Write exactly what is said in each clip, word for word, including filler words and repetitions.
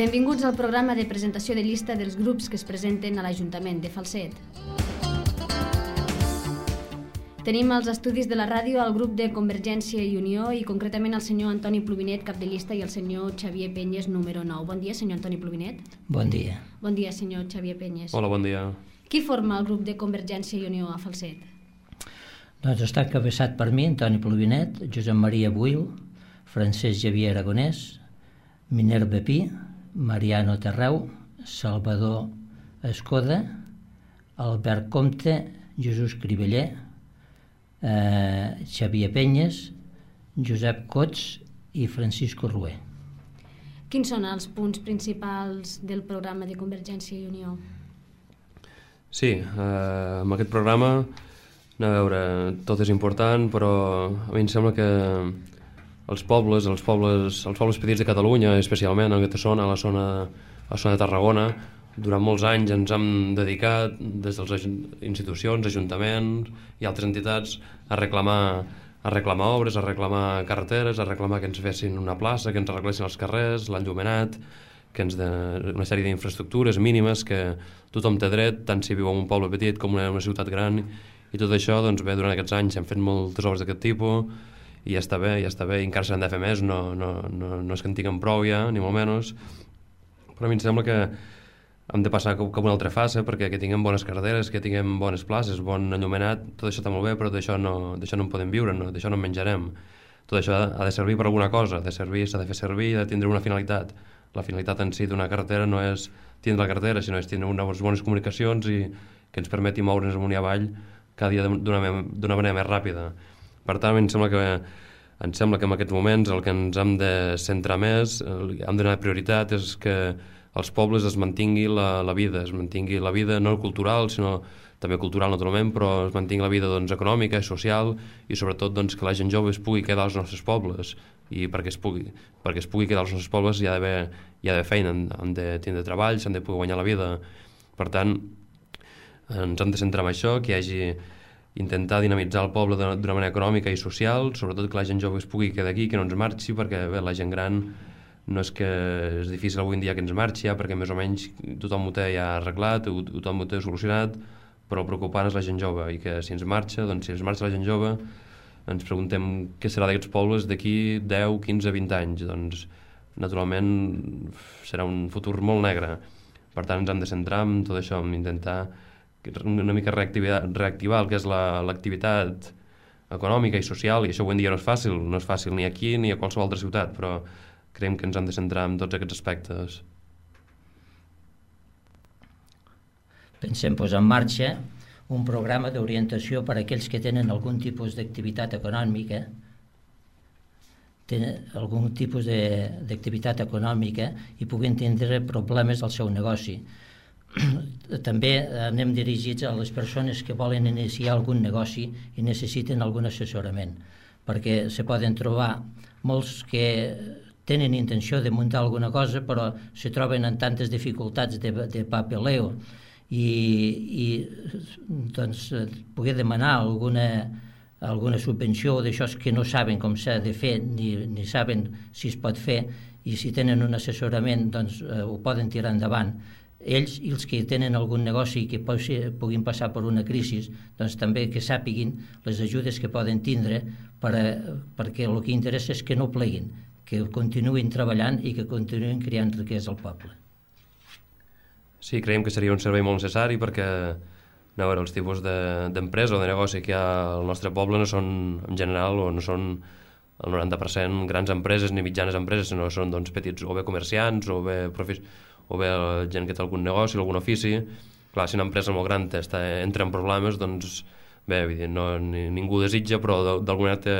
Benvinguts al programa de presentació de llista dels grups que es presenten a l'Ajuntament de Falset. Tenim als estudis de la ràdio el grup de Convergència i Unió i concretament el senyor Antoni Plovinet, cap de llista, i el senyor Xavier Penyes, número nou. Bon dia, senyor Antoni Plovinet. Bon dia. Bon dia, senyor Xavier Penyes. Hola, bon dia. Qui forma el grup de Convergència i Unió a Falset? Doncs està encabeçat per mi, Antoni Plovinet, Josep Maria Buil, Francesc Xavier Aragonès, Minerva Pi, Mariano Terreu, Salvador Escoda, Albert Comte, Jesús Criveller, eh, Xavier Penyes, Josep Cots i Francisco Rué. Quins són els punts principals del programa de Convergència i Unió? Sí, eh, amb aquest programa, a veure, tot és important, però a mi em sembla que els pobles, els pobles, els pobles petits de Catalunya, especialment en aquesta zona, a la zona, a la zona de Tarragona, durant molts anys ens hem dedicat, des de les institucions, ajuntaments i altres entitats, a reclamar, a reclamar obres, a reclamar carreteres, a reclamar que ens fessin una plaça, que ens arreglessin els carrers, l'enllumenat, que ens de, una sèrie d'infraestructures mínimes que tothom té dret, tant si viu en un poble petit com en una ciutat gran, i tot això, doncs bé, durant aquests anys hem fet moltes obres d'aquest tipus, i ja està bé, ja està bé, i encara s'han de fer més, no, no, no, no és que en tinguem prou ja, ni molt menys, però a mi em sembla que hem de passar cap a una altra fase, perquè que tinguem bones carreteres, que tinguem bones places, bon enllumenat, tot això està molt bé, però d'això no, d'això no en podem viure, no, d'això no en menjarem. Tot això ha de servir per alguna cosa, ha de servir, s'ha de fer servir, ha de tindre una finalitat. La finalitat en si d'una carretera no és tindre la carretera, sinó és tindre unes bones comunicacions i que ens permeti moure'ns amunt i avall cada dia d'una manera més ràpida. Per tant, em sembla que em sembla que en aquests moments el que ens hem de centrar més, hem de donar prioritat, és que als pobles es mantingui la, la vida, es mantingui la vida no cultural, sinó també cultural naturalment, però es mantingui la vida doncs, econòmica i social, i sobretot doncs, que la gent jove es pugui quedar als nostres pobles, i perquè es pugui, perquè es pugui quedar als nostres pobles hi ha d'haver hi ha d'haver feina, han de tindre treball, s'han de poder guanyar la vida. Per tant, ens hem de centrar en això, que hi hagi intentar dinamitzar el poble d'una manera econòmica i social, sobretot que la gent jove es pugui quedar aquí, que no ens marxi, perquè bé, la gent gran no és que és difícil avui en dia que ens marxi, ja, perquè més o menys tothom ho té ja arreglat, tothom ho té solucionat, però el preocupant és la gent jove, i que si ens marxa, doncs si ens marxa la gent jove, ens preguntem què serà d'aquests pobles d'aquí deu, quinze, vint anys. Doncs naturalment serà un futur molt negre. Per tant ens hem de centrar en tot això, en intentar una mica reactivar, reactivar el que és l'activitat econòmica i social, i això avui en dia no és fàcil, no és fàcil ni aquí ni a qualsevol altra ciutat, però creiem que ens hem de centrar en tots aquests aspectes. Pensem posar en marxa un programa d'orientació per a aquells que tenen algun tipus d'activitat econòmica, tenen algun tipus d'activitat econòmica i puguin tindre problemes al seu negoci. També anem dirigits a les persones que volen iniciar algun negoci i necessiten algun assessorament, perquè se poden trobar molts que tenen intenció de muntar alguna cosa però se troben en tantes dificultats de, de papeleo i, i doncs poder demanar alguna, alguna subvenció d'això que no saben com s'ha de fer ni, ni saben si es pot fer, i si tenen un assessorament doncs eh, ho poden tirar endavant. Ells i els que tenen algun negoci que puguin passar per una crisi, doncs també que sàpiguin les ajudes que poden tindre per a, perquè el que interessa és que no pleguin, que continuïn treballant i que continuïn creant riquesa al poble. Sí, creiem que seria un servei molt necessari perquè no, veure, els tipus d'empresa de, o de negoci que hi ha al nostre poble no són, en general, o no són el noranta per cent grans empreses ni mitjanes empreses, sinó són doncs, petits o bé comerciants o bé, profis, o bé gent que té algun negoci o algun ofici. Clar, si una empresa molt gran està, entra en problemes, doncs bé, no, ni, ningú desitja, però d'alguna manera té,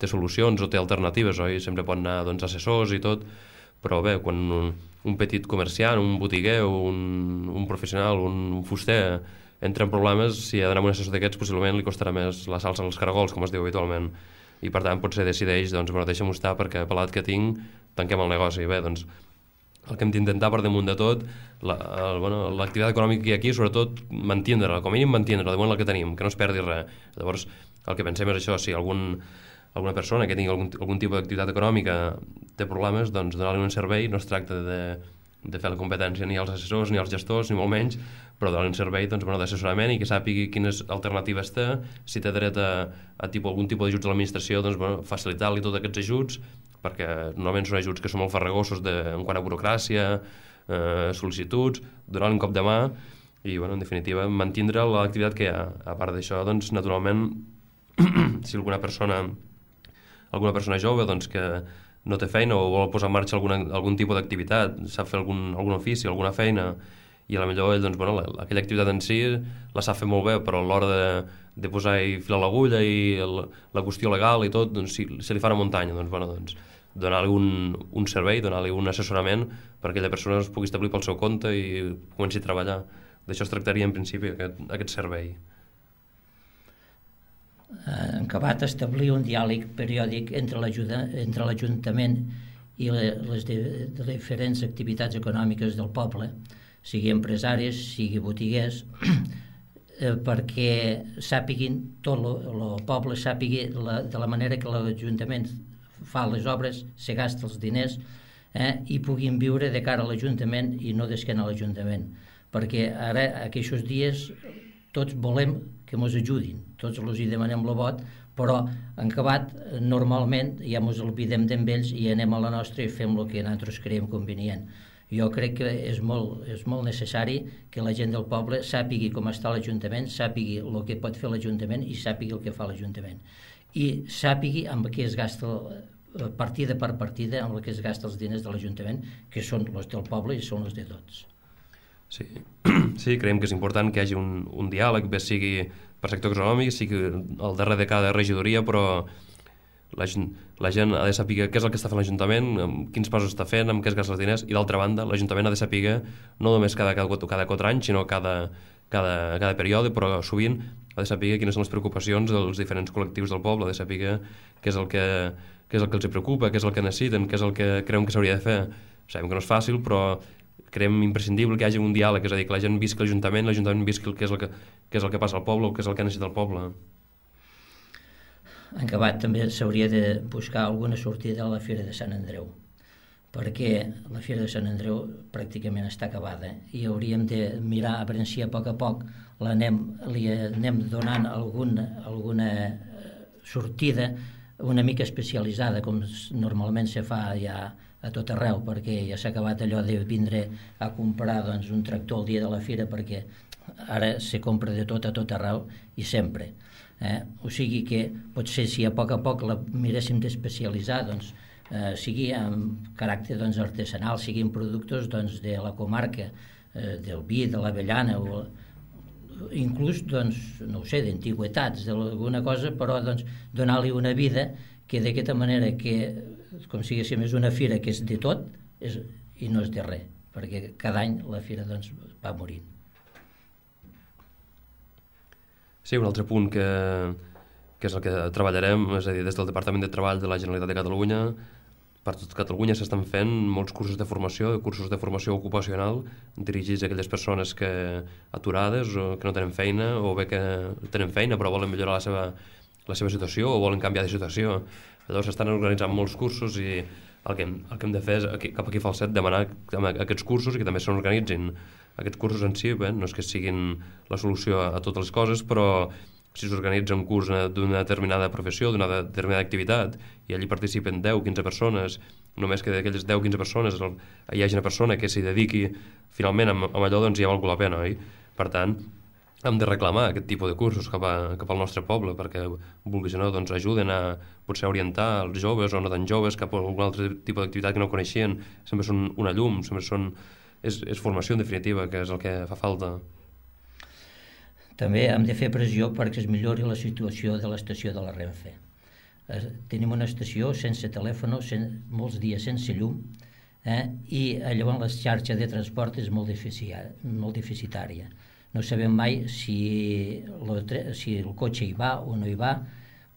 té solucions o té alternatives, oi? Sempre pot anar doncs, assessors i tot, però bé, quan un, un petit comerciant, un botiguer, un, un professional, un fuster entra en problemes, si ha d'anar amb un assessor d'aquests possiblement li costarà més la salsa als caragols, com es diu habitualment, i per tant potser decideix, doncs, bueno, deixa'm estar perquè per l'edat que tinc tanquem el negoci. Bé, doncs el que hem d'intentar per damunt de tot, l'activitat bueno, econòmica que hi ha aquí, sobretot mantindre-la, com a mínim mantindre-la, de moment la que tenim, que no es perdi res. Llavors el que pensem és això, si algun alguna persona que tingui algun, algun tipus d'activitat econòmica té problemes, doncs donar-li un servei. No es tracta de de fer la competència ni als assessors ni als gestors, ni molt menys, però donen servei doncs, bueno, d'assessorament i que sàpigui quines alternatives té, si té dret a, a tipus, algun tipus d'ajuts de l'administració, doncs, bueno, facilitar-li tots aquests ajuts, perquè normalment són ajuts que són molt farragosos de, en quant a burocràcia, eh, sol·licituds, donar-li un cop de mà i, bueno, en definitiva, mantindre l'activitat que hi ha. A part d'això, doncs, naturalment, si alguna persona alguna persona jove doncs, que no té feina o vol posar en marxa alguna, algun tipus d'activitat, sap fer algun, algun ofici, alguna feina, i a la millor ell, doncs, bueno, la, aquella activitat en si la sap fer molt bé, però a l'hora de, de posar i filar l'agulla i el, la qüestió legal i tot, doncs, si, si li fa una muntanya, doncs, bueno, doncs, donar-li un, un servei, donar-li un assessorament perquè aquella persona es pugui establir pel seu compte i comenci a treballar. D'això es tractaria en principi aquest, aquest servei. En acabat, establir un diàleg periòdic entre l'Ajuntament i les diferents activitats econòmiques del poble, sigui empresaris, sigui botiguers, perquè sàpiguin, tot el poble sàpigui de la manera que l'Ajuntament fa les obres, se gasta els diners, eh, i puguin viure de cara a l'Ajuntament i no d'esquena a l'Ajuntament. Perquè ara, aquests dies, tots volem que ens ajudin, tots els hi demanem el vot, però en acabat, normalment, ja ens oblidem d'ells i anem a la nostra i fem el que nosaltres creiem convenient. Jo crec que és molt, és molt necessari que la gent del poble sàpigui com està l'Ajuntament, sàpigui el que pot fer l'Ajuntament i sàpigui el que fa l'Ajuntament. I sàpigui amb què es gasta partida per partida, amb què es gasta els diners de l'Ajuntament, que són els del poble i són els de tots. Sí, sí, creiem que és important que hi hagi un, un diàleg, bé sigui per sector econòmic, sigui al darrere de cada regidoria, però la gent, la gent ha de saber què és el que està fent l'Ajuntament, quins passos està fent, amb què es gasta els diners, i d'altra banda l'Ajuntament ha de saber no només cada, cada, cada quatre anys, sinó cada, cada, cada període, però sovint ha de saber quines són les preocupacions dels diferents col·lectius del poble, ha de saber què és el que, què és el que els preocupa, què és el que necessiten, què és el que creuen que s'hauria de fer. Sabem que no és fàcil, però creiem imprescindible que hi hagi un diàleg, és a dir, que la gent visqui l'Ajuntament, l'Ajuntament visqui què és el que, què és el que passa al poble, què és el que necessita el poble. En acabat, també s'hauria de buscar alguna sortida a la Fira de Sant Andreu, perquè la Fira de Sant Andreu pràcticament està acabada i hauríem de mirar a veure si a poc a poc l'anem, li anem donant alguna, alguna sortida una mica especialitzada, com normalment se fa ja a tot arreu, perquè ja s'ha acabat allò de vindre a comprar doncs, un tractor el dia de la fira, perquè ara se compra de tot a tot arreu i sempre. Eh? O sigui que potser si a poc a poc la miréssim d'especialitzar, doncs, eh, sigui amb caràcter doncs, artesanal, siguin productes doncs, de la comarca, eh, del vi, de l'avellana, o inclús, doncs, no ho sé, d'antigüetats, d'alguna cosa, però doncs, donar-li una vida que d'aquesta manera que, com si diguéssim, és una fira que és de tot és, i no és de res, perquè cada any la fira doncs, va morint. Sí, un altre punt que, que és el que treballarem, és a dir, des del Departament de Treball de la Generalitat de Catalunya, per tot Catalunya s'estan fent molts cursos de formació, cursos de formació ocupacional dirigits a aquelles persones que aturades o que no tenen feina, o bé que tenen feina però volen millorar la seva, la seva situació o volen canviar de situació. Llavors s'estan organitzant molts cursos i el que, el que hem de fer és, aquí, cap aquí a Falset, demanar aquests cursos i que també s'organitzin. Aquests cursos en si, bé, no és que siguin la solució a totes les coses, però si s'organitza un curs d'una determinada professió, d'una determinada activitat, i allí participen deu o quinze persones, només que d'aquelles deu o quinze persones hi hagi una persona que s'hi dediqui finalment amb, amb allò, doncs ja val la pena, oi? Per tant, hem de reclamar aquest tipus de cursos cap, a, cap al nostre poble, perquè, vulguis o no, doncs ajuden a potser orientar els joves o no tan joves cap a algun altre tipus d'activitat que no coneixien. Sempre són una llum, sempre són... És, és formació, en definitiva, que és el que fa falta. També hem de fer pressió perquè es millori la situació de l'estació de la Renfe. Eh, tenim una estació sense telèfon, sen, molts dies sense llum, eh, i llavors la xarxa de transport és molt, molt deficitària. No sabem mai si, lo, si el cotxe hi va o no hi va.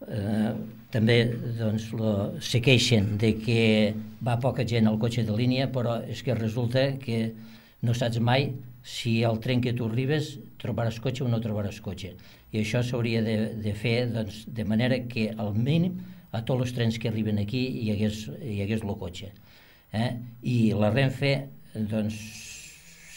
Eh, també doncs, lo, se queixen de que va poca gent al cotxe de línia, però és que resulta que no saps mai si al tren que tu arribes trobaràs cotxe o no trobaràs cotxe. I això s'hauria de, de fer doncs, de manera que al mínim a tots els trens que arriben aquí hi hagués, hi hagués el cotxe. Eh? I la Renfe doncs,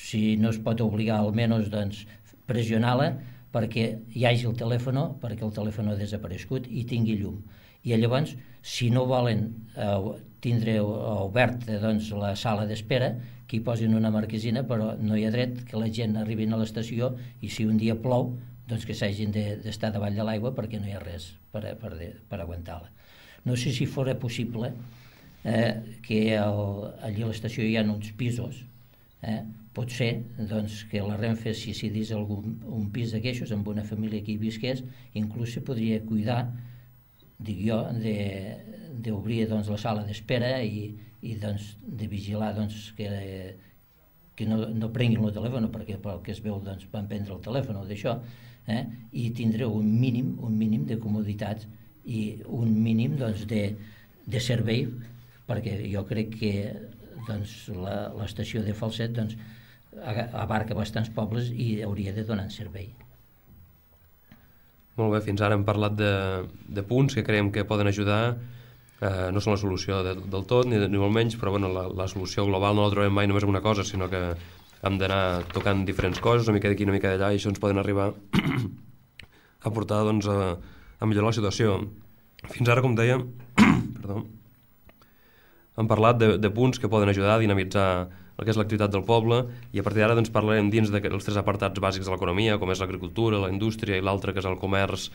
si no es pot obligar, almenys doncs, pressionar-la perquè hi hagi el telèfon, perquè el telèfon ha desaparegut i tingui llum. I llavors, si no volen eh, tindre obert doncs, la sala d'espera, que hi posin una marquesina, però no hi ha dret que la gent arribi a l'estació i si un dia plou, doncs que s'hagin d'estar davall de l'aigua perquè no hi ha res per, per, per aguantar-la. No sé si fora possible eh, que el, allí a l'estació hi ha uns pisos, eh, pot ser doncs, que la Renfe, si decidís algun un pis d'aquestos amb una família que hi visqués, inclús se podria cuidar, dic jo, d'obrir doncs, la sala d'espera i, i doncs, de vigilar doncs, que, que no, no prenguin el telèfon, perquè pel que es veu doncs, van prendre el telèfon o d'això, eh, i tindre un mínim, un mínim de comoditats i un mínim doncs, de, de servei, perquè jo crec que doncs, l'estació de Falset doncs, abarca bastants pobles i hauria de donar servei. Molt bé, fins ara hem parlat de, de punts que creiem que poden ajudar, eh, no són la solució de, del tot, ni, ni molt menys, però bueno, la, la solució global no la trobem mai només en una cosa, sinó que hem d'anar tocant diferents coses, una mica d'aquí, una mica d'allà, i això ens poden arribar a portar doncs, a, a millorar la situació. Fins ara, com deia, perdó, hem parlat de, de punts que poden ajudar a dinamitzar el que és l'activitat del poble, i a partir d'ara doncs, parlarem dins dels tres apartats bàsics de l'economia, com és l'agricultura, la indústria i l'altre que és el comerç,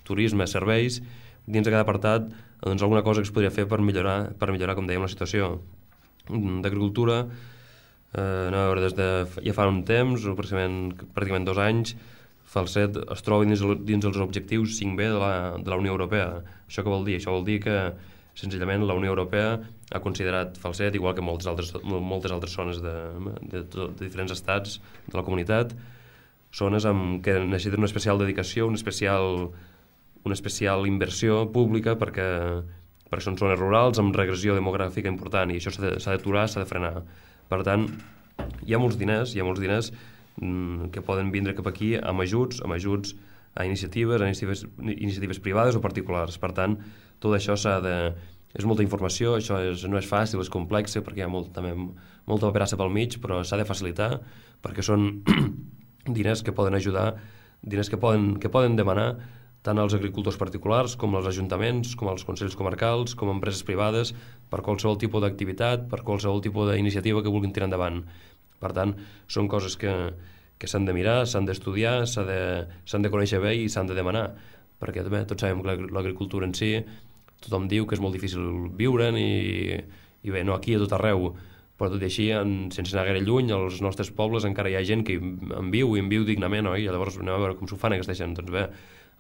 turisme, serveis. Dins de cada apartat doncs, alguna cosa que es podria fer per millorar, per millorar com dèiem, la situació. D'agricultura, eh, no, a veure, des de ja fa un temps, pràcticament, pràcticament dos anys, Falset es troba dins, dins els objectius cinc B de la, de la Unió Europea. Això què vol dir? Això vol dir que senzillament la Unió Europea ha considerat Falset, igual que moltes altres, moltes altres zones de, de, de diferents estats de la comunitat, zones amb, que necessiten una especial dedicació, una especial, una especial inversió pública perquè, perquè són zones rurals amb regressió demogràfica important i això s'ha d'aturar, s'ha de frenar. Per tant, hi ha molts diners, hi ha molts diners mmm, que poden vindre cap aquí amb ajuts, amb ajuts a iniciatives, a iniciatives, iniciatives privades o particulars. Per tant, tot això s'ha de... És molta informació, això és, no és fàcil, és complex, perquè hi ha molt, també, molta paperassa pel mig, però s'ha de facilitar, perquè són diners que poden ajudar, diners que poden, que poden demanar tant als agricultors particulars, com als ajuntaments, com als consells comarcals, com a empreses privades, per qualsevol tipus d'activitat, per qualsevol tipus d'iniciativa que vulguin tirar endavant. Per tant, són coses que, que s'han de mirar, s'han d'estudiar, s'han de, s'han de conèixer bé i s'han de demanar, perquè també tots sabem que l'agricultura en si tothom diu que és molt difícil viure-en i, i bé, no aquí a tot arreu, però tot i així, en, sense anar gaire lluny, als nostres pobles encara hi ha gent que en viu i en viu dignament, oi? I llavors anem a veure com s'ho fan aquesta gent. Doncs bé,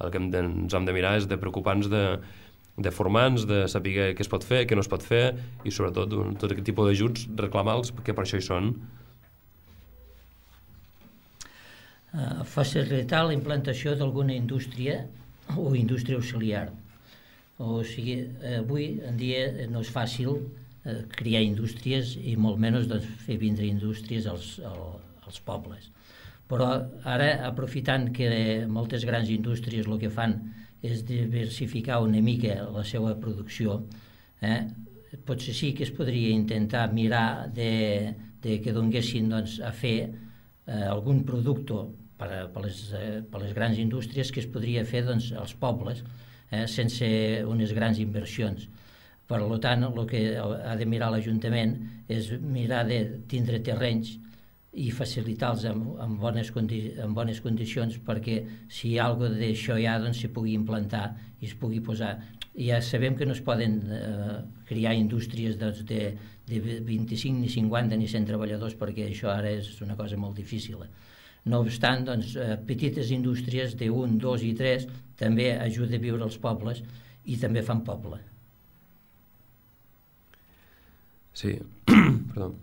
el que hem de, ens hem de mirar és de preocupar-nos de, de formar-nos, de saber què es pot fer, què no es pot fer i sobretot tot aquest tipus d'ajuts reclamar-los, que per això hi són. Uh, facilitar la implantació d'alguna indústria o indústria auxiliar. O sigui, avui en dia no és fàcil eh, crear indústries i molt menys doncs, fer vindre indústries als, als pobles. Però ara, aprofitant que moltes grans indústries el que fan és diversificar una mica la seva producció, eh, potser sí que es podria intentar mirar de, de que donguessin doncs, a fer eh, algun producte per, a, per, les, eh, per les grans indústries que es podria fer doncs, als pobles, Eh, sense unes grans inversions. Per tant, el que ha de mirar l'Ajuntament és mirar de tindre terrenys i facilitar-los amb, amb, bones condi amb bones condicions perquè si hi ha alguna cosa d'això ja doncs, se pugui implantar i es pugui posar. Ja sabem que no es poden eh, crear indústries doncs, de, de vint-i-cinc, ni cinquanta, ni cent treballadors perquè això ara és una cosa molt difícil. No obstant, doncs, eh, petites indústries d'un, dos i tres també ajuda a viure als pobles i també fan poble. Sí, perdó.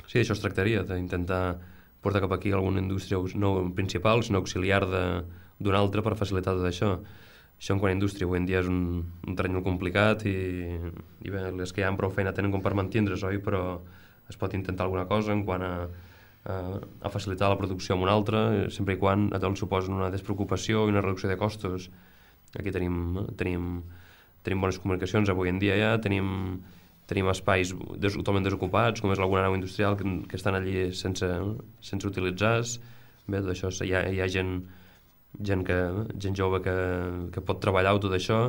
Sí, això es tractaria, d'intentar portar cap aquí alguna indústria no principal, sinó auxiliar d'una altra per facilitar tot això. Això en quant a indústria avui en dia és un, un terreny molt complicat i, i bé, les que hi ha prou feina tenen com per mantindre's, oi? Però es pot intentar alguna cosa en quant a a facilitar la producció amb una altra, sempre i quan el suposen una despreocupació i una reducció de costos. Aquí tenim, tenim, tenim bones comunicacions avui en dia ja, tenim, tenim espais des, totalment desocupats, com és alguna nau industrial que, que estan allí sense, sense utilitzar. Bé, tot això, hi ha, hi ha gent, gent, que, gent jove que, que pot treballar tot això,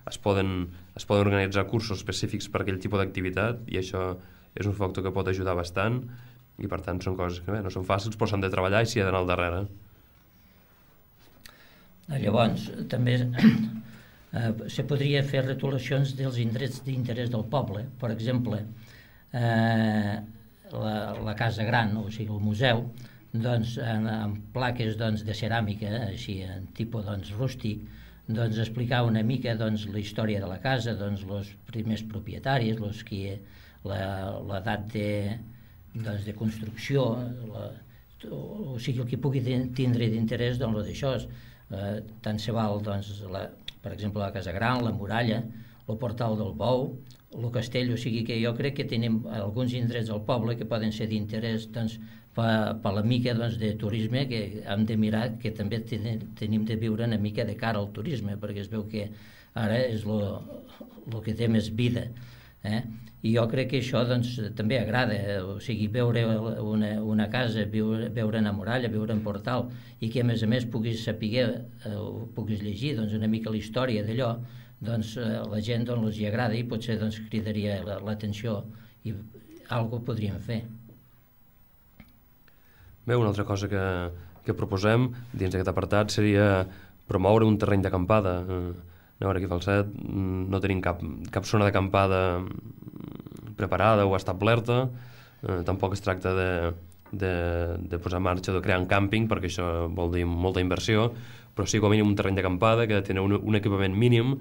es poden, es poden organitzar cursos específics per aquell tipus d'activitat, i això és un factor que pot ajudar bastant, i per tant són coses que bé, no són fàcils, però s'han de treballar i s'hi ha d'anar al darrere. Llavors, també eh, se podria fer retolacions dels indrets d'interès del poble. Per exemple, eh, la, la Casa Gran, o sigui, el museu, doncs, en, en plaques doncs, de ceràmica, així, en tipus doncs, rústic, doncs, explicar una mica doncs, la història de la casa, doncs, els primers propietaris, los que, l'edat de, doncs, de construcció, la, o sigui, el que pugui tindre d'interès doncs, d'això. Eh, tant se val, doncs, la, per exemple, la Casa Gran, la muralla, el portal del Bou, el castell, o sigui que jo crec que tenim alguns indrets al poble que poden ser d'interès doncs, per, per la mica doncs, de turisme, que hem de mirar que també ten, tenim de viure una mica de cara al turisme, perquè es veu que ara és el que té més vida. Eh? I jo crec que això doncs, també agrada, o sigui, veure una, una casa, veure, veure una muralla, veure un portal, i que a més a més puguis saber, eh, puguis llegir doncs, una mica la història d'allò, doncs eh, la gent doncs, els hi agrada i potser doncs, cridaria l'atenció i alguna cosa podríem fer. Bé, una altra cosa que, que proposem dins d'aquest apartat seria promoure un terreny d'acampada. A veure, aquí a Falset no tenim cap, cap zona d'acampada preparada o establerta, eh, tampoc es tracta de, de, de posar en marxa o de crear un càmping, perquè això vol dir molta inversió, però sí com a mínim un terreny d'acampada que ha de tenir un, un equipament mínim,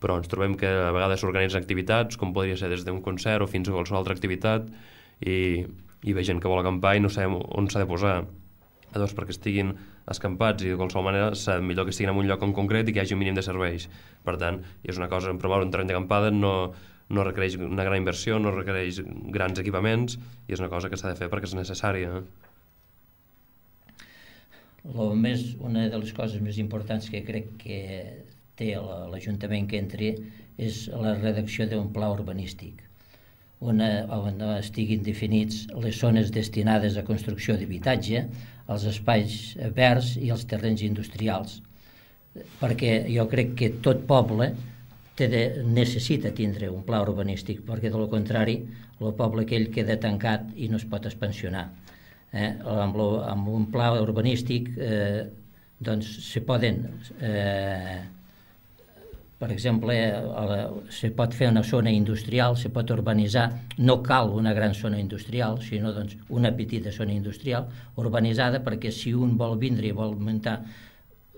però ens trobem que a vegades s'organitzen activitats, com podria ser des d'un concert o fins a qualsevol altra activitat, i, i ve gent que vol acampar i no sabem on s'ha de posar. Llavors, perquè estiguin escampats i de qualsevol manera serà millor que estiguin en un lloc en concret i que hi hagi un mínim de serveis. Per tant, és una cosa, promoure un terreny d'acampada no, no requereix una gran inversió, no requereix grans equipaments, i és una cosa que s'ha de fer perquè és necessària. Lo més, una de les coses més importants que crec que té l'Ajuntament que entri és la redacció d'un pla urbanístic, on, on estiguin definits les zones destinades a construcció d'habitatge, els espais verds i els terrenys industrials, perquè jo crec que tot poble té de, necessita tindre un pla urbanístic, perquè de lo contrari el poble aquell queda tancat i no es pot expansionar. Eh? Amb, lo, amb un pla urbanístic eh, doncs se poden eh, per exemple, se pot fer una zona industrial, se pot urbanitzar, no cal una gran zona industrial, sinó doncs, una petita zona industrial urbanitzada, perquè si un vol vindre i vol muntar,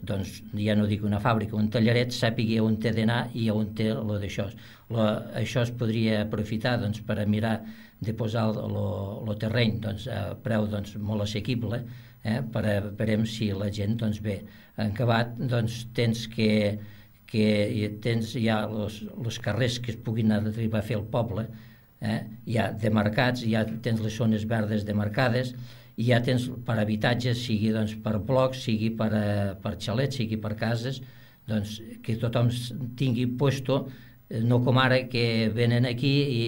doncs ja no dic una fàbrica, un tallaret, sàpiga on té d'anar i on té lo d'això. Lo, això es podria aprofitar doncs, per a mirar de posar el terreny doncs, a preu doncs, molt assequible, eh, per a veure si la gent doncs, bé. En acabat, doncs, tens que que tens ja els carrers que es puguin arribar a fer al poble, eh? Ja demarcats, ja tens les zones verdes demarcades, i ja tens per habitatges, sigui doncs, per blocs, sigui per, per xalets, sigui per cases, doncs, que tothom tingui puesto, no com ara que venen aquí i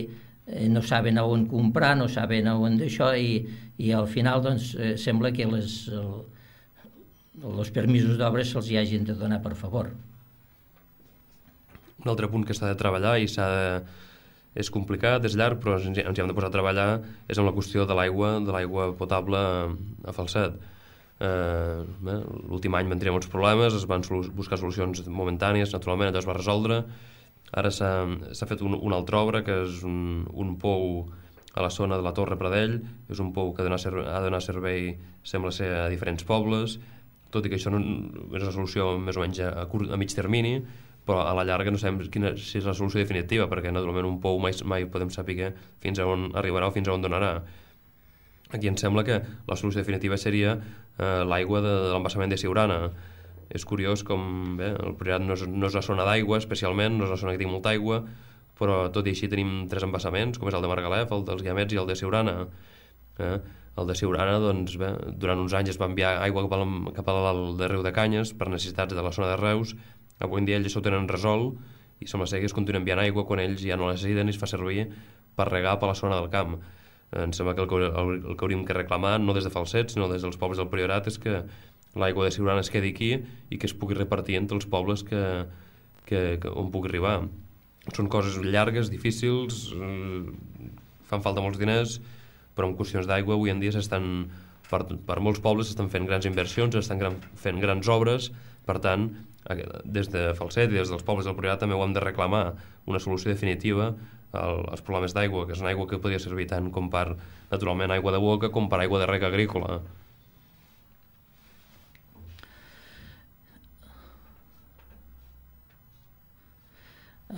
no saben a on comprar, no saben a on d'això, i, i al final doncs, sembla que les, els permisos d'obres se'ls hi hagin de donar per favor. Un altre punt que s'ha de treballar i s'ha de... és complicat, és llarg, però ens hi hem de posar a treballar, és en la qüestió de l'aigua, de l'aigua potable a Falset. Eh, l'últim any van tenir molts problemes, es van buscar solucions momentànies, naturalment allò es va resoldre. Ara s'ha fet un, una altra obra, que és un, un pou a la zona de la Torre Pradell, és un pou que ha de donar servei, sembla ser, a diferents pobles, tot i que això no, és una solució més o menys a, curt, a mig termini, però a la llarga no sabem quina, si és la solució definitiva, perquè naturalment un pou mai, mai podem saber fins a on arribarà o fins a on donarà. Aquí em sembla que la solució definitiva seria eh, l'aigua de, de l'embassament de Siurana. És curiós com bé, el Priorat no és, no és la zona d'aigua especialment, no és la zona que té molta aigua, però tot i així tenim tres embassaments, com és el de Margalef, el dels Guiamets i el de Siurana. Eh? El de Siurana, doncs, bé, durant uns anys es va enviar aigua cap, al, cap al de Riu de Canyes per necessitats de la zona de Reus. Avui en dia ells ho tenen resolt i sembla ser que es continua enviant aigua quan ells ja no la necessiten i es fa servir per regar per la zona del camp. Em sembla que el que, el, el que hauríem que reclamar, no des de Falset, sinó des dels pobles del Priorat, és que l'aigua de Siurana es quedi aquí i que es pugui repartir entre els pobles que, que, que, on pugui arribar. Són coses llargues, difícils, eh, fan falta molts diners, però en qüestions d'aigua avui en dia s'estan, per, per molts pobles s'estan fent grans inversions, s'estan gran, fent grans obres, per tant, des de Falset i des dels pobles del Priorat també ho hem de reclamar una solució definitiva als problemes d'aigua, que és una aigua que podria servir tant com per, naturalment, aigua de boca com per aigua de reg agrícola.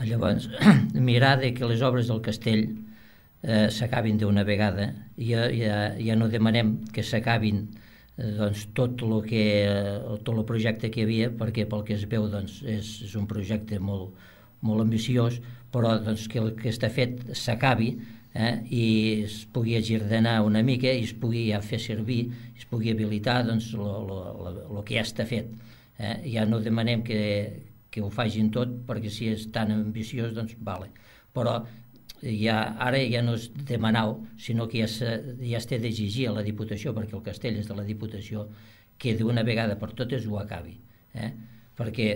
Llavors, mirar de que les obres del castell eh, s'acabin d'una vegada. Ja, ja, ja no demanem que s'acabin eh, doncs, tot el que, tot el projecte que hi havia, perquè pel que es veu doncs, és, és un projecte molt, molt ambiciós, però doncs, que el que està fet s'acabi eh, i es pugui agirdenar una mica i es pugui ja fer servir, es pugui habilitar doncs, el que ja està fet. Eh? Ja no demanem que, que ho facin tot, perquè si és tan ambiciós, doncs vale. Però ja, ara ja no és demanar, sinó que ja, se, ja es té d'exigir a la Diputació, perquè el castell és de la Diputació, que d'una vegada per totes ho acabi. Eh? Perquè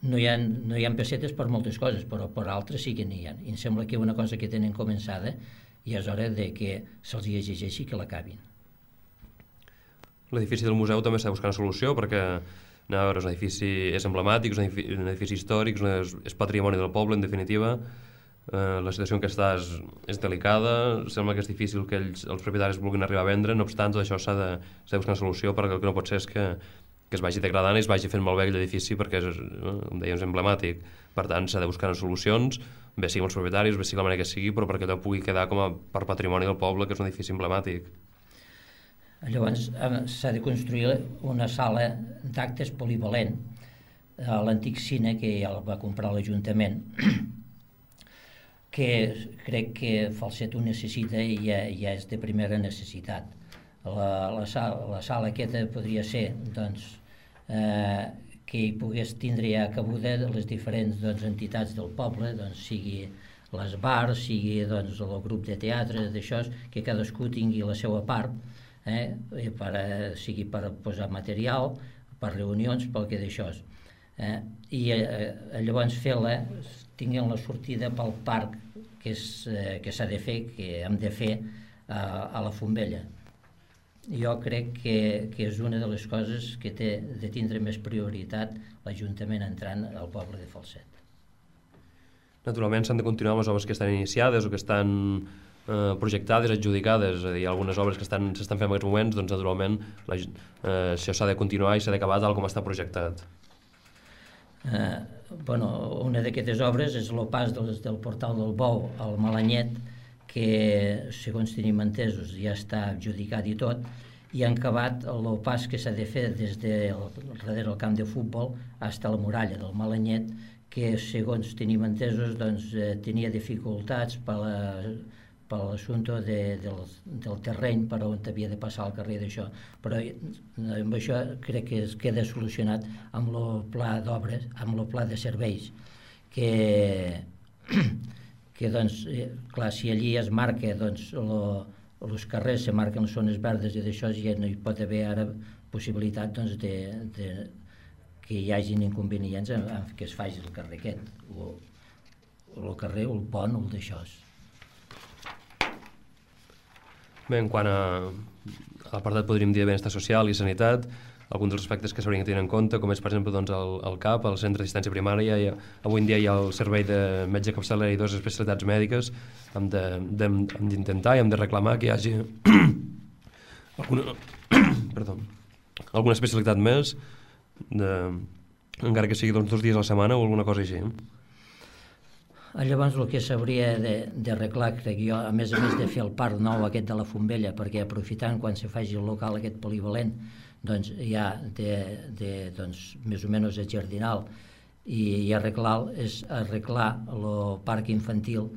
no hi ha, no hi ha pessetes per moltes coses, però per altres sí que n'hi ha. I em sembla que una cosa que tenen començada ja és hora de que se'ls exigeixi que l'acabin. L'edifici del museu també s'ha de buscar una solució, perquè no, és un edifici és emblemàtic, és un edifici, un edifici històric, és, és patrimoni del poble, en definitiva. Eh, la situació en què està és, és delicada, sembla que és difícil que ells, els propietaris vulguin arribar a vendre, no obstant, tot això s'ha de, s'ha de buscar una solució, perquè el que no pot ser és que, que es vagi degradant i es vagi fent malbé l'edifici, perquè és, com dèiem, és emblemàtic. Per tant, s'ha de buscar solucions, bé sigui amb els propietaris, bé sigui la manera que sigui, però perquè allò pugui quedar com a per patrimoni del poble, que és un edifici emblemàtic. Llavors s'ha de construir una sala d'actes polivalent a l'antic cine, que ja el va comprar l'Ajuntament, que crec que Falset ho necessita i ja, ja és de primera necessitat. La, la, sala, la sala aquesta podria ser doncs, eh, que hi pogués tindre ja cabuda les diferents doncs, entitats del poble, doncs, sigui les bars, sigui doncs, el grup de teatre, d'això, que cadascú tingui la seva part, eh, per, sigui per posar material, per reunions, pel que d'això. Eh, I eh, llavors fer-la, tinguin la sortida pel parc que, és, eh, que s'ha de fer, que hem de fer eh, a la Fontbella. Jo crec que, que és una de les coses que té de tindre més prioritat l'Ajuntament entrant al poble de Falset. Naturalment s'han de continuar amb les obres que estan iniciades o que estan eh, projectades, adjudicades, és a dir, algunes obres que s'estan fent en aquests moments, doncs naturalment la, eh, això s'ha de continuar i s'ha d'acabar tal com està projectat. Eh, bueno, una d'aquestes obres és el pas del, del portal del Bou al Malanyet, que segons tenim entesos ja està adjudicat i tot, i han acabat el pas que s'ha de fer des de darrere el camp de futbol fins a la muralla del Malanyet, que segons tenim entesos doncs, eh, tenia dificultats per la, per l'assumpte de, del, del terreny per on havia de passar el carrer d'això, però amb això crec que es queda solucionat amb el pla d'obres, amb el pla de serveis, que que doncs, clar, si allí es marca doncs, els carrers, se marquen les zones verdes i d'això ja no hi pot haver ara possibilitat doncs, de, de, que hi hagin inconvenients en, en que es faci el carrer aquest, o, o el carrer, o el pont, o el d'això. Bé, en quant a, a l'apartat podríem dir de benestar social i sanitat, alguns dels aspectes que s'haurien de tenir en compte, com és, per exemple, doncs, el, el C A P, el Centre d'Assistència Primària, ha, avui en dia hi ha el servei de metge capçalera i dues especialitats mèdiques, hem d'intentar i hem de reclamar que hi hagi alguna, perdó, alguna especialitat més, de, encara que sigui doncs, dos dies a la setmana o alguna cosa així. Llavors el que s'hauria d'arreglar, crec jo, a més a més de fer el parc nou aquest de la Fontbella, perquè aprofitant quan se faci el local aquest polivalent, doncs ja de, de doncs, més o menys jardinal i, i arreglar, és arreglar el parc infantil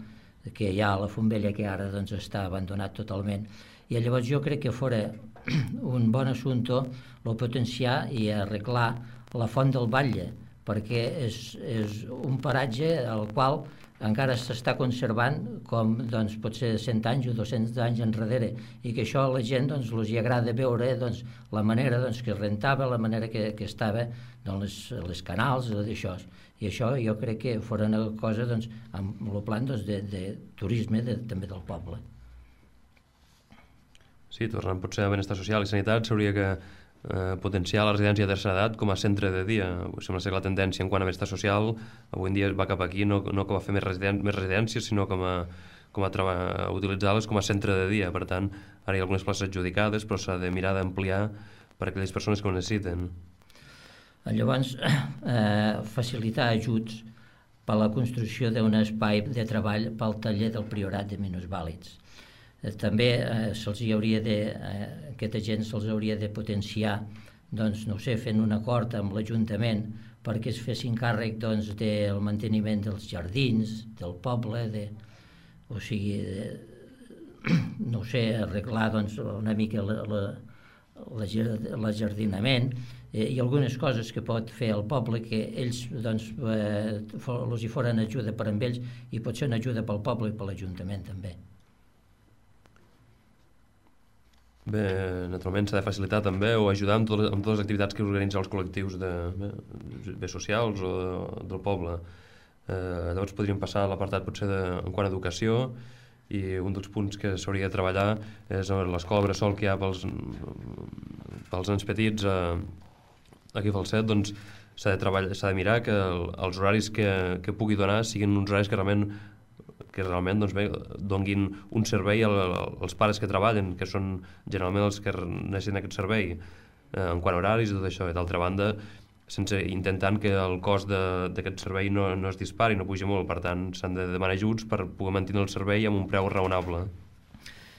que hi ha a la Fontbella, que ara doncs, està abandonat totalment. I llavors jo crec que fora un bon assumpte el potenciar i arreglar la font del Batlle, perquè és, és un paratge al qual encara s'està conservant com doncs, potser cent anys o dos-cents anys enrere, i que això a la gent doncs, els agrada veure doncs, la manera doncs, que es rentava, la manera que, que estava doncs, les, les canals, d'això. I això jo crec que fora una cosa doncs, amb el plan doncs, de, de turisme de, també del poble. Sí, tornant potser a benestar social i sanitat, s'hauria que eh, potenciar la residència de tercera edat com a centre de dia. Sembla ser que la tendència en quant a benestar social avui en dia va cap aquí, no, no com a fer més, residen més residències, sinó com a, com a, a utilitzar-les com a centre de dia. Per tant, ara hi ha algunes places adjudicades, però s'ha de mirar d'ampliar per a aquelles persones que ho necessiten. Llavors, eh, facilitar ajuts per a la construcció d'un espai de treball pel taller del Priorat de minusvàlids. Eh, també eh, se'ls hauria de, eh, aquesta gent se'ls hauria de potenciar, doncs, no sé, fent un acord amb l'Ajuntament perquè es fessin càrrec doncs, del manteniment dels jardins, del poble, de, o sigui, de, no sé, arreglar doncs, una mica la, la, l'ajardinament, eh, i algunes coses que pot fer el poble que ells doncs, eh, els hi foren ajuda per amb ells i pot ser una ajuda pel poble i per l'Ajuntament també. Bé, naturalment s'ha de facilitar també o ajudar amb, tot, amb totes les activitats que organitzen els col·lectius de, bé, bé socials o de, del poble. Eh, llavors podríem passar a l'apartat potser de, en quant a educació, i un dels punts que s'hauria de treballar és l'escola bressol que hi ha pels, pels nens petits eh, aquí a Falset. Doncs s'ha de treballar, s'ha de mirar que el, els horaris que, que pugui donar siguin uns horaris que realment, que realment doncs bé, donguin un servei als pares que treballen, que són generalment els que necessiten aquest servei, eh, en quant a horaris i tot això. I d'altra banda, sense intentant que el cost d'aquest servei no, no es dispari, no pugi molt. Per tant, s'han de demanar ajuts per poder mantenir el servei amb un preu raonable.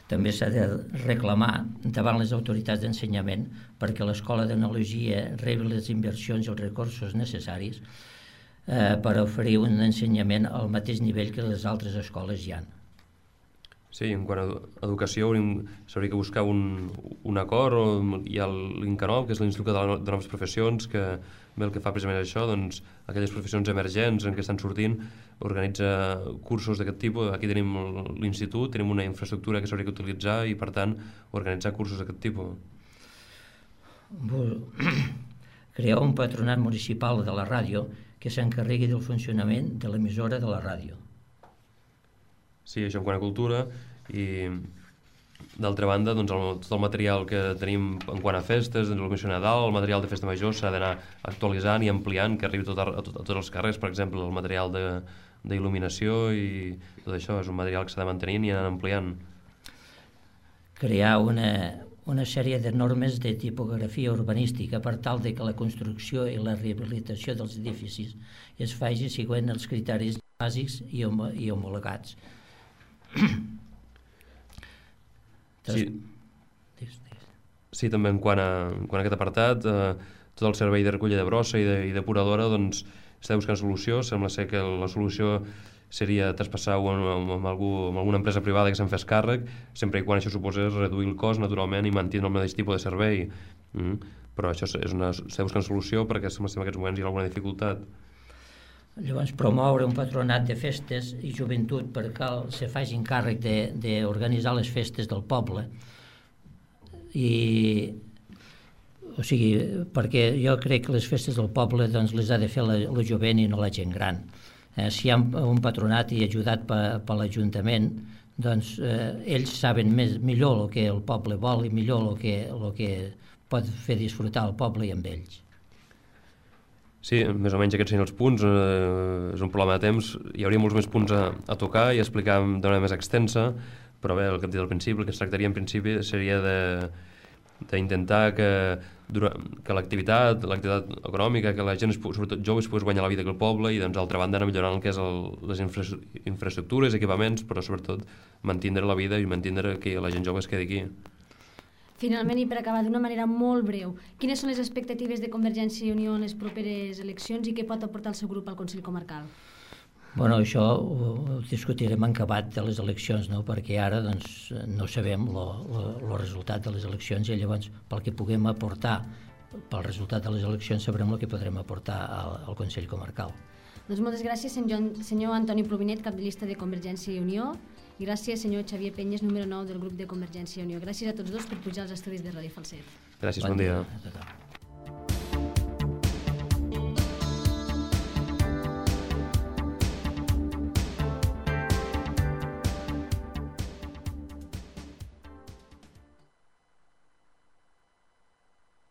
També s'ha de reclamar davant les autoritats d'ensenyament perquè l'Escola d'Enologia rebi les inversions i els recursos necessaris eh, per oferir un ensenyament al mateix nivell que les altres escoles hi ha. Sí, en quant a educació s'hauria que buscar un, un acord. O hi ha l'INCANOV, que és l'Institut de, de Noves Professions, que bé, el que fa precisament això, doncs, aquelles professions emergents en què estan sortint, organitza cursos d'aquest tipus. Aquí tenim l'institut, tenim una infraestructura que s'hauria que utilitzar i, per tant, organitzar cursos d'aquest tipus. Crear un patronat municipal de la ràdio que s'encarregui del funcionament de l'emissora de la ràdio. Sí, això en quant a cultura. I d'altra banda, doncs, el, tot el material que tenim en quant a festes, doncs, el Missió Nadal, el material de festa major s'ha d'anar actualitzant i ampliant, que arribi tot a, a, tot, a tots els carrers. Per exemple, el material d'il·luminació i tot això és un material que s'ha de mantenir i anar ampliant. Crear una, una sèrie de normes de tipografia urbanística per tal de que la construcció i la rehabilitació dels edificis es faci seguint els criteris bàsics i, hom i homologats. Sí. Sí, també en quant a, en quant a aquest apartat, eh, tot el servei de recollida de brossa i, de, i depuradora, doncs està buscant solució. Sembla ser que la solució seria traspassar-ho amb, amb, algú, amb alguna empresa privada que se'n fes càrrec, sempre i quan això suposés reduir el cost, naturalment, i mantenir el mateix tipus de servei. Mm. Però això és una, s'està buscant solució perquè sembla ser en aquests moments hi ha alguna dificultat. Llavors, promoure un patronat de festes i joventut perquè se facin càrrec d'organitzar les festes del poble. I, o sigui, perquè jo crec que les festes del poble doncs, les ha de fer la, la jovent i no la gent gran. Eh, si hi ha un patronat i ajudat per, per l'Ajuntament, doncs eh, ells saben més, millor el que el poble vol i millor el que, el que pot fer disfrutar el poble i amb ells. Sí, més o menys aquests serien els punts. Eh, és un problema de temps. Hi hauria molts més punts a, a tocar i a explicar d'una manera més extensa, però bé, el que hem dit al principi, el que es tractaria en principi seria d'intentar que, que l'activitat l'activitat econòmica, que la gent, sobretot joves, pogués guanyar la vida que el poble i, doncs, d'altra banda, anar millorant el que és el, les infra, infraestructures, equipaments, però sobretot mantindre la vida i mantindre que la gent jove es quedi aquí. Finalment, i per acabar d'una manera molt breu, quines són les expectatives de Convergència i Unió en les properes eleccions i què pot aportar el seu grup al Consell Comarcal? Bueno, això ho, ho discutirem en acabat de les eleccions, no? Perquè ara doncs, no sabem el resultat de les eleccions i llavors pel que puguem aportar pel resultat de les eleccions sabrem el que podrem aportar al, al Consell Comarcal. Doncs moltes gràcies, senyor Antoni Plovinet, cap de llista de Convergència i Unió, i gràcies, senyor Xavier Penyes, número nou del grup de Convergència i Unió. Gràcies a tots dos per pujar als estudis de Ràdio Falset. Gràcies, bon, bon dia. dia.